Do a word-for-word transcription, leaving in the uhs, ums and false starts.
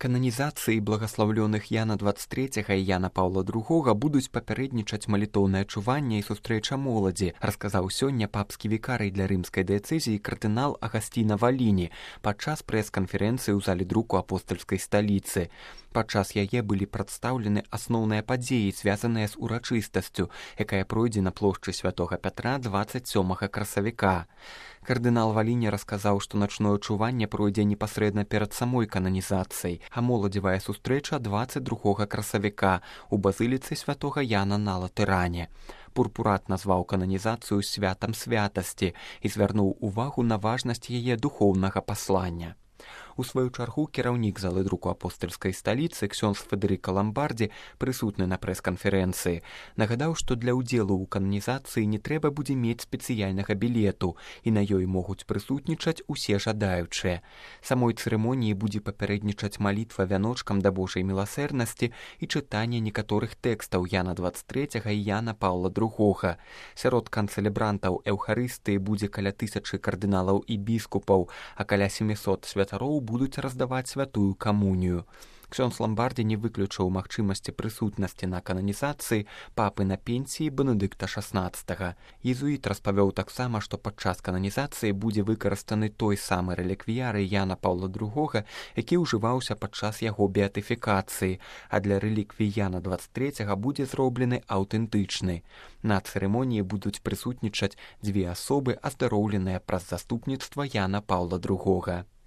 Кананізацыі благаслаўлёных Яна дваццаць трэцяга і Яна Паўла другога будуць папярэднічаць малітоўнае чуванне і сустрэча моладзі, расказаў сёння папскі вікарый для рымскай дыяцэзіі кардынал Агасціна Валіні падчас прэс-канферэнцыі ў зале друку апостальскай сталіцы. Падчас яе былі прадстаўлены асноўныя падзеі, звязаныя з урачыстасцю, якая пройдзе на плошчы святога Пятра дваццаць сёмага красавіка. Кардынал Валіні расказаў, што начное чуванне пройдзе непасрэдна перад самой кананізацыяй, а моладзевая сустрэча дваццаць другога красавіка у базыліцы святога Яна на Латэране. Пурпурат назваў кананізацыю святам святасці і звярнуў увагу на важнасць яе духоўнага паслання. У сваю чаргу кіраўнік залы друку апостальскай сталіцы ксёндз Федэрыка Ламбардзі, прысутны на прэс-канферэнцыі, нагадаў, што для ўдзелу ў кананізацыі не трэба будзе мець спецыяльнага білету, і на ёй могуць прысутнічаць усе жадаючыя. Самой цырымоніі будзе папярэднічаць малітва вяночкам да Божай міласэрнасці і чытанне некаторых тэкстаў Яна дваццаць трэцяга і Яна Паўла другога. Сярод канцэлебрантаў эўхарыстыі будзе каля тысячы кардыналаў і біскупаў, а каля сямісот святароў будуць раздаваць святую камунію. Ксёндз Ламбардзі не выключыў магчымасці прысутнасці на кананізацыі папы на пенсіі Бенедыкта шаснаццатага. Езуіт распавёў таксама, што падчас кананізацыі будзе выкарыстаны той самы рэліквіяры Яна Паўла другога, які ўжываўся падчас яго беатыфікацыі, а для рэліквій Яна дваццаць трэцяга будзе зроблены аўтэнтычны. На цырымоніі будуць прысутнічаць дзве асобы, аздароўленыя праз заступніцтва Яна Паўла другога.